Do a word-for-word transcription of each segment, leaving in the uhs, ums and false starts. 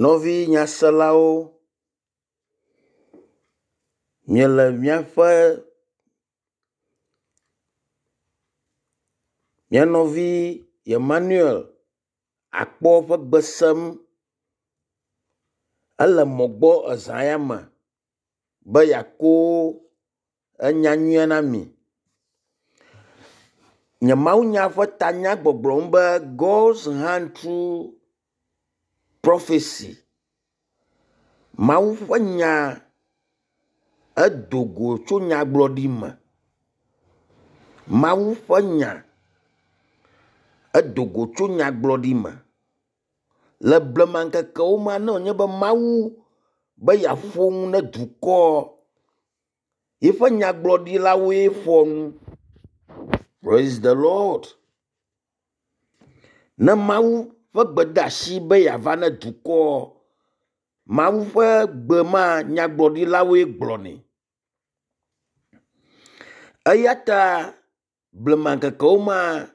Nɔvi nyaselawo, miele miaƒe mia nɔvi Emmanuel Akpɔ ƒe gbe sem. Ele mɔ gbɔ eza ya me be yeako enya nyuia na mi. Nye mawunya ƒe tanya gbɔgblɔm be God's hand through prophecy. Mawu ƒe nya edo go tso nyagblɔɖi me. Mawu ƒe nya edo go tso nyagblɔɖi me. Le blema ŋkekewo me ne wònye be Mawu be yeaƒo nu ne dukɔ yiƒe nyagblɔɖilawoe ƒoa nu. Praise the Lord. Ne Mawu ƒe gbedeasi be yeava ne dukɔ, Mawu ƒe gbe ma nyagblɔɖilawoe gblɔnɛ. Eya ta blema ŋkekewo mea,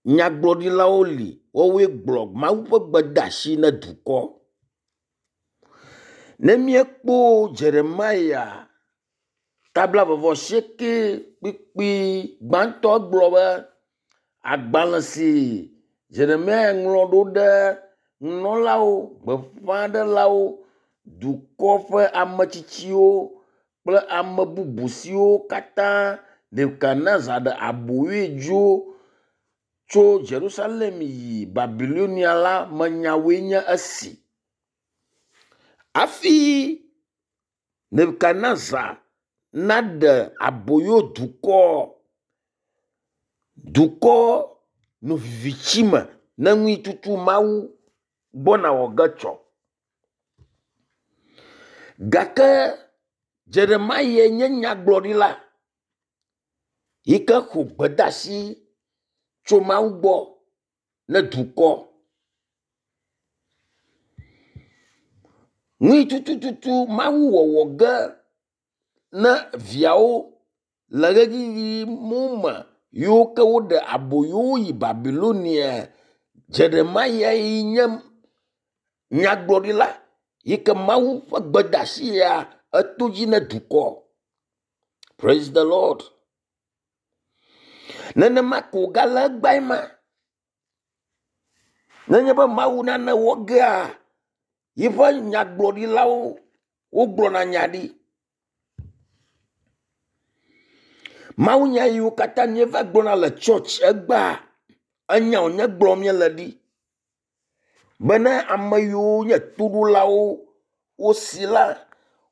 nyagblɔɖilawo li woawoe gblɔ Mawu ƒe gbedeasi ne dukɔ. Ne míekpɔ Jeremia ta blaeve-vɔ-asieke kpukpui gbãtɔ gblɔ be, agbalẽ si Jeremia ŋlɔ ɖo ɖe nunɔlawo, gbeƒãɖelawo, dukɔ ƒe ametsitsiwo kple ame bubu siwo katã Nebukadnezar ɖe aboyoe dzo tso Yerusalem yi Babilonia la me nyawoe nye esi. Hafi Nebukadnezar naɖe aboyo dukɔ, dukɔ nɔ viviti me ne nu yi tutu Mawu gbɔna wɔ ge tsɔ. Gake Jeremia nye nyagblɔɖila yi ke xɔ gbedeasi tso Mawu gbɔ ne dukɔ. Nu yi tututu Mawu wɔwɔ ge ne viawo le ʋeyiʋi mawo me yiwo ke woɖe aboyo yi Babilonia, Jeremia yi nye nyagblɔɖila yi ke Mawu ƒe gbedeasi ya eto dzi ne dukɔ. Praise the Lord. Nenema ke wògale egbeae ma. Nenye be Mawu nane wɔ gea, yiƒe nyagblɔɖilawo wogblɔna nya ɖi. Mawunya yiwo katã míeva gblɔna le tsɔtsi egbea, enya wònye gblɔm míele ɖi bene ame yiwo nye toɖolawo wosi la,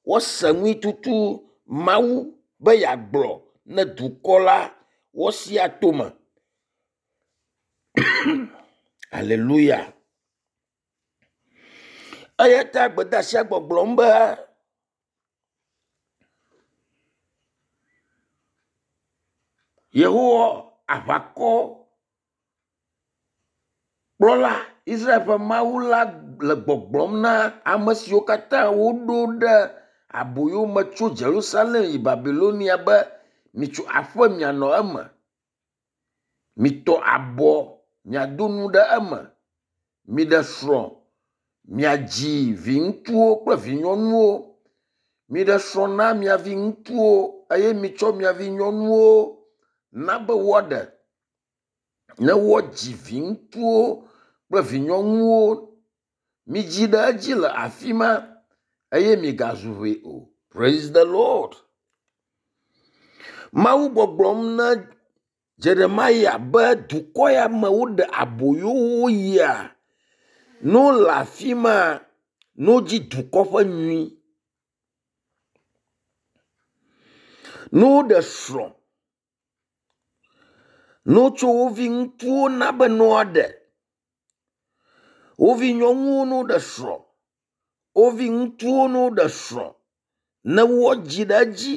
woase nu yi tutu Mawu be yeagblɔ ne dukɔ la woasi ato eme. Aleluya. Eya ta gbedeasia gbɔgblɔm be Yehowa aʋakɔ kplɔla Israel ƒe Mawu la le gbɔgblɔm na ame siwo katã woɖo ɖe aboyo me tso Yerusalem yi Babilonia be mitso aƒe mianɔ eme, mitɔ abɔ miado nu ɖe eme, miɖe srɔ̃ miadzi viŋutsuwo kple vinyɔnuwo, miɖe srɔ̃ na mia viŋutsuwo eye mitsɔ mia vinyɔnuwo na be woaɖe ne woadzi viŋutsuwo kple vinyɔnuwo. Midzi ɖe edzi le afi ma eye migazu ʋɛ o. Praise the Lord. Mawu gbɔgblɔm na Jeremia be dukɔ ya me woɖe aboyo wo yia, ne wole afi ma, ne wodzi dukɔ ƒe nyui, ne woɖe srɔ̃, ne wotsɔ wo viŋutsuwo na be ne woaɖe, wo vinyɔnuwo ne woɖe srɔ̃, wo viŋutsuwo ne woɖe srɔ̃, ne woadzi ɖe edzi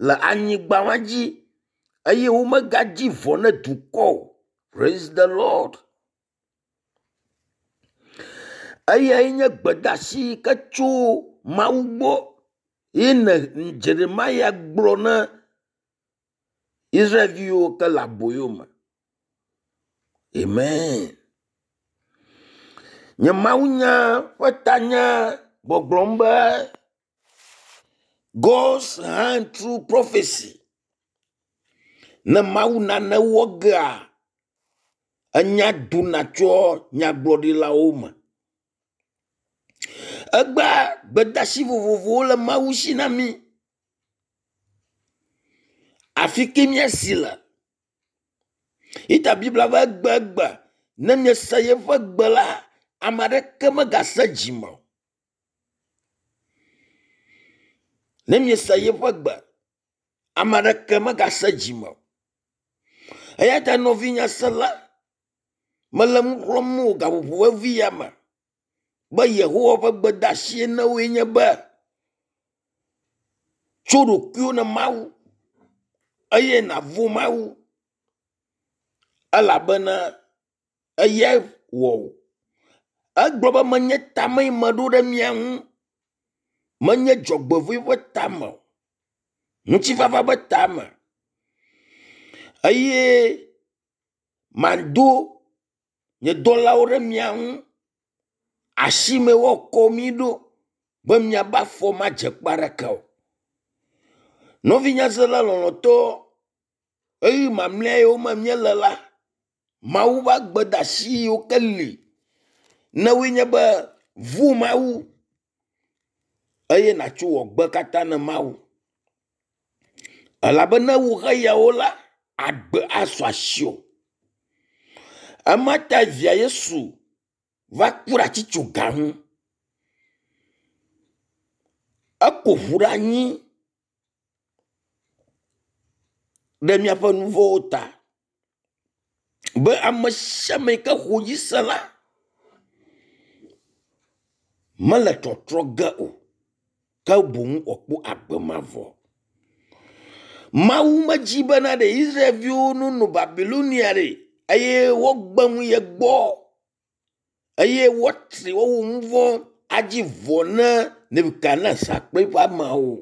le anyigba ma dzi eye womegadzi vɔ̃ ne dukɔ o. Praise the Lord. Eyae nye gbedeasi yi ke tso Mawu gbɔ ye ne Jeremia gblɔ na Israelviwo ke le aboyo me. Amen. Nye mawunya ƒe tanya gbɔgblɔm be God's hand through prophecy. Ne Mawu nane wɔ gea, enya dona tsoa nyagblɔɖilawo me. Egbea gbedeasi vovovowo le Mawu si na mí. Afi ke míasi le. Yita Biblia be egbegbe ne miese yeƒe gbe la, ame aɖeke megase dzime o. Ne miese yeƒe gbe, ame aɖeke megase dzime o. Eya ta nɔvinye sela, mele nu xlɔ̃m wò gaƒoƒo vevi ya me be Yehowa ƒe gbedeasi na woe nye be tso ɖokuiwò ne Mawu eye nàvɔ̃ Mawu elabena eyae wɔ wò. Egblɔ be menye tame yi meɖo ɖe mia ŋu, menye dzɔgbevɔ̃e ƒe tame o, ŋutifafa ƒe tame eye mado nye dɔlawo ɖe mia ŋu. Asime woakɔ mi ɖo be miabe afɔ madze kpe aɖeke o. Nɔvi nyasela lɔlɔ̃tɔ, ɣeyiɣi mamlɛ yiwo me míele la, Mawu ƒe gbedeasi yiwo ke li ne woe nye be vɔ̃ Mawu eye nàtso wò gbe katã ne Mawu. Elabe ne ewɔ xeyawo la, agbe asu asiwò. Ema ta via Yesu va ku ɖe atitsoga ŋu. Eko ʋu ɖe anyi ɖe míaƒe nu vɔ̃wo ta be ame sia ame yi ke xɔ edzi se la mele tɔtrɔ ge o ke boŋ wòakpɔ agbe mavɔ. Mawu medzi bena ɖe Israelviwo nonɔ Babilonia ɖe eye woagbe nu ye gbɔ eye woatri woawɔ nu vɔ̃ adzi vɔ ne Nebukadnezar kple eƒe ameawo.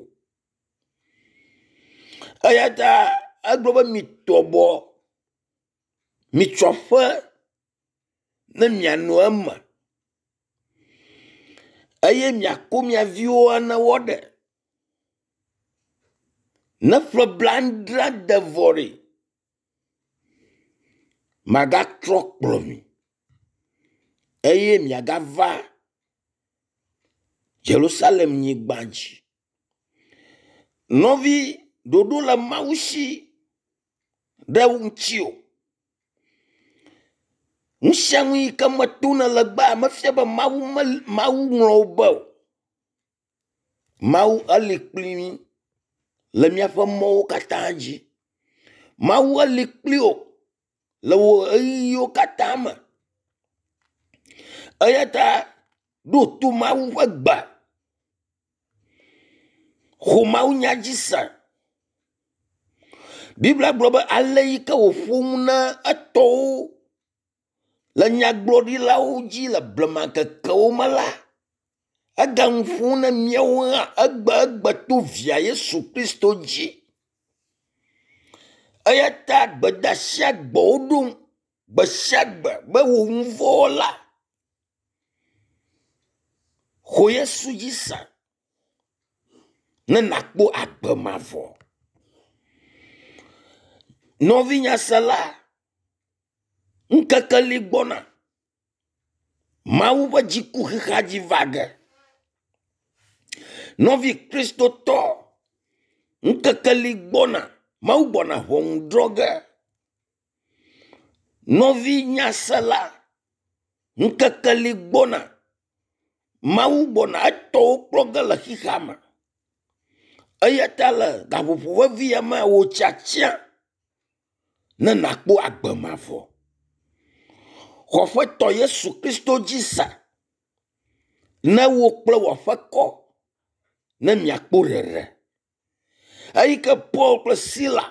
Eya ta egblɔ be mitɔ bɔ, mitso aƒe ne mianɔ eme eye miako mia viwo ne woaɖe. Ne ƒe blaadre de vɔ ɖe, magatrɔ kplɔ mi eye miagava Yerusalem nyigba dzi. Nɔvi, ɖoɖo le Mawu si ɖe ŋutiwò. Nu sia nu yi ke me tom nèle egbea mefia be Mawu mel Mawu ŋlɔ wò be o. Mawu eli kpli mí le míaƒe mɔwo katã dzi. Mawu eli kpli wò le wò ɣeyiɣiwo katã me. Eya ta ɖo to Mawu ƒe gbe. Xɔ mawunya dzi se. Biblia gblɔ be ale yi ke wòƒo nu na etɔwo le nyagblɔɖilawo dzi le blema ŋkekewo me la, eganu ƒom na míawo hã egbe egbe to via Yesu Kristo dzi. Eya ta gbedeasi gbe woɖom gbe sia gbe be wò nu vɔ̃ la, xɔ Yesu dzi se ne nàkpɔ agbe mavɔ. Nɔvinyasela, ŋkeke li gbɔna. Mawu ƒe dziku xexea dzi va ge. Nɔvi kristotɔ, ŋkeke li gbɔna. Mawu gbɔna ʋɔnu drɔ̃ ge. Nɔvi nyasela, ŋkeke li gbɔna. Mawu gbɔna etɔwo kplɔ ge le xexea me. Eya ta le gaƒoƒo vevi ya mea, wò tiatia ne nàkpɔ agbe mavɔ. Xɔ Aƒetɔ Yesu Kristo dzi se ne wò kple wò aƒekɔ ne miakpɔ ɖeɖe. Eyi ke Paul kple Sila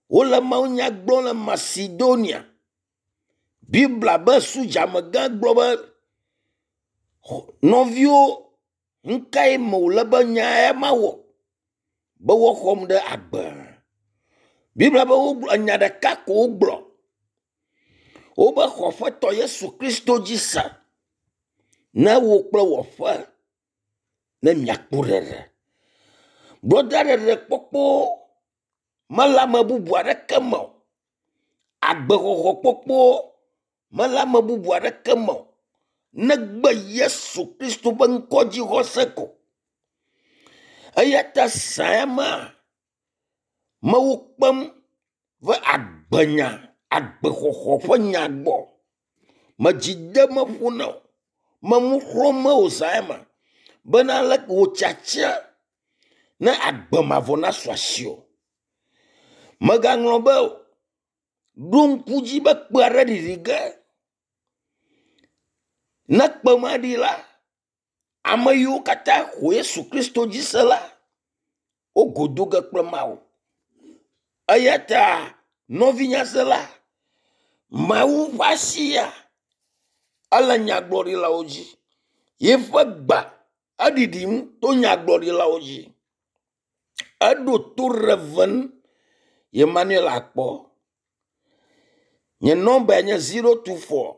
wole mawunya gblɔm le Macedonia. Biblia be sodzamegã gblɔ be nɔviwo nu kae me wòle be nya ya mawɔ be woaxɔm ɖe agbe? Biblia be wogblɔ nya ɖeka ko wogblɔ. Wobe xɔ Aƒetɔ Yesu Kristo dzi se Ne wò kple wò aƒe ne miakpɔ ɖeɖe. Brɔda ɖeɖekpɔkpɔ mele ame bubu aɖeke me o. Agbexɔxɔkpɔkpɔ mele ame bubu aɖeke me o negbe Yesu Kristo ƒe ŋkɔdzixɔse ko. Eya ta zã ma mewo kpem va agbenya, agbexɔxɔ ƒe nya gbɔ. Medzi dem ƒo na wò, me nu xlɔ̃m wò zã ya me bena leke wò tiatia ne agbe mavɔ nasu asiwò. Mègaŋlɔ be o, ɖo ŋku dzi be kpe aɖe ɖiɖi ge. Ne kpe ma ɖi la, ame yiwo katã xɔ Yesu Kristo dzi se la, wo go do ge kple Mawu. Eya ta nɔvinyasela, Mawu ƒe asia ele nyagblɔɖilawo dzi. Yeƒe gbe eɖiɖim to nyagblɔɖilawo dzi. Eɖo to Rev. Emmanuel Akpɔ. Nye nɔmbae nye zero two four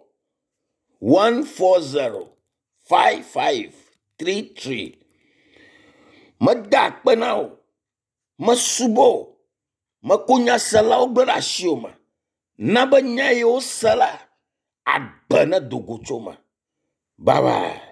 one four zero five five three three. Meda akpe na wò, mesubɔ wò, meko nyaselawo gblẽ ɖe asiwò me. Na be nya yi wose la, agbe nedo go tso me. Bye bye.